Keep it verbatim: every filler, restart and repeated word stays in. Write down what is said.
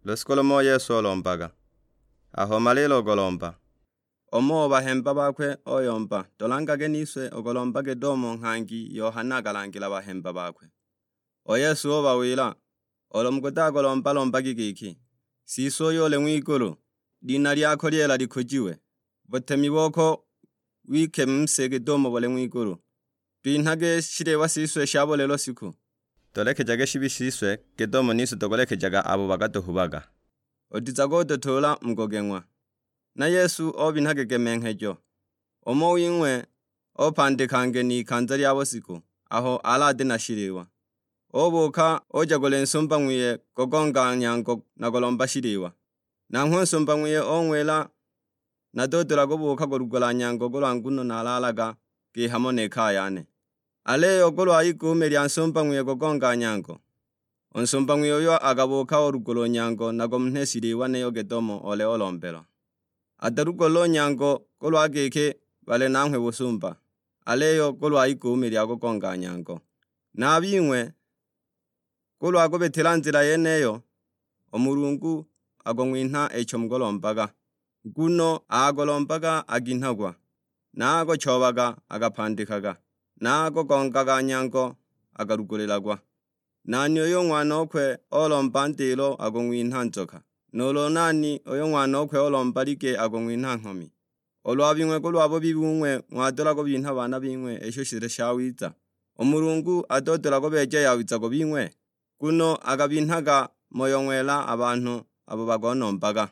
Lushiku lumo u Yesu olombaga. Aho omala ilo ogolomba, umo o bahemba bakwe oyomba, "Tolangage niswe." Ogolomba gedomo nghangi Yohana akalangila bahemba bakwe. U Yesu ubawila, "Olo mukudagolomba lombagi giki, 'Siswe uyo uli ng'wigulu, lina lyako lyela likujiwe, butemi boko wike mu si git'umo buli ng'wigulu. Twinhage shiliwa siswe sha buli lushiku. Tulekejage shibi shiswe git'umo nise tukulekejaga abo bakatuhubaga. Utizaga ututuula mu kugeng'wa." Na Yesu obinha gegemenghejo. Umo wing'we opandika ngeni ikanza lya busiku, aho alati na shiliwa. Ubuuka uja kuli nsumba ng'wiye kugonga nyango na kulomba shiliwa. Nanghwe u nsumba ng'wiye ung'wila, "Natudula kubuuka kulugula nyango kulwa nguno nalaalaga kihamo ni kaya yane." Aliyo kulwa iguume lya nsumba ng'wiye kugonga nyango, u nsumba ng'wiye uyo akabuuka ulugula u nyango na kumunha shiliwa niyo git'umo ole olombelwa. Atalugulile u nyango kulwa giki bali nanghwe busumba, aliyo kulwa iguume lya kugonga nyango. Na a bing'we, kulwa kubitila nzila yeniyo, u Mulungu akung'winha icho mukulombaga. Nguno agolombaga aginhagwa, na agochoobaga akapandikaga, na agogongaga nyango akalugulilagwa. Nani uyo ng'wanokwe olomba ndilo akung'winha nzoka? Nuulu nani uyo ng'wanokwe olomba lige akung'winha nghomi? Ulu a bing'we kulwa bubi bung'we ng'wadula kubinha baana bing'we isho shili shawiza, u Mulungu atudula kubeeja yawiza ku bing'we? Nguno akabinhaga Moyo Ng'wela a banhu abo bagonombaga.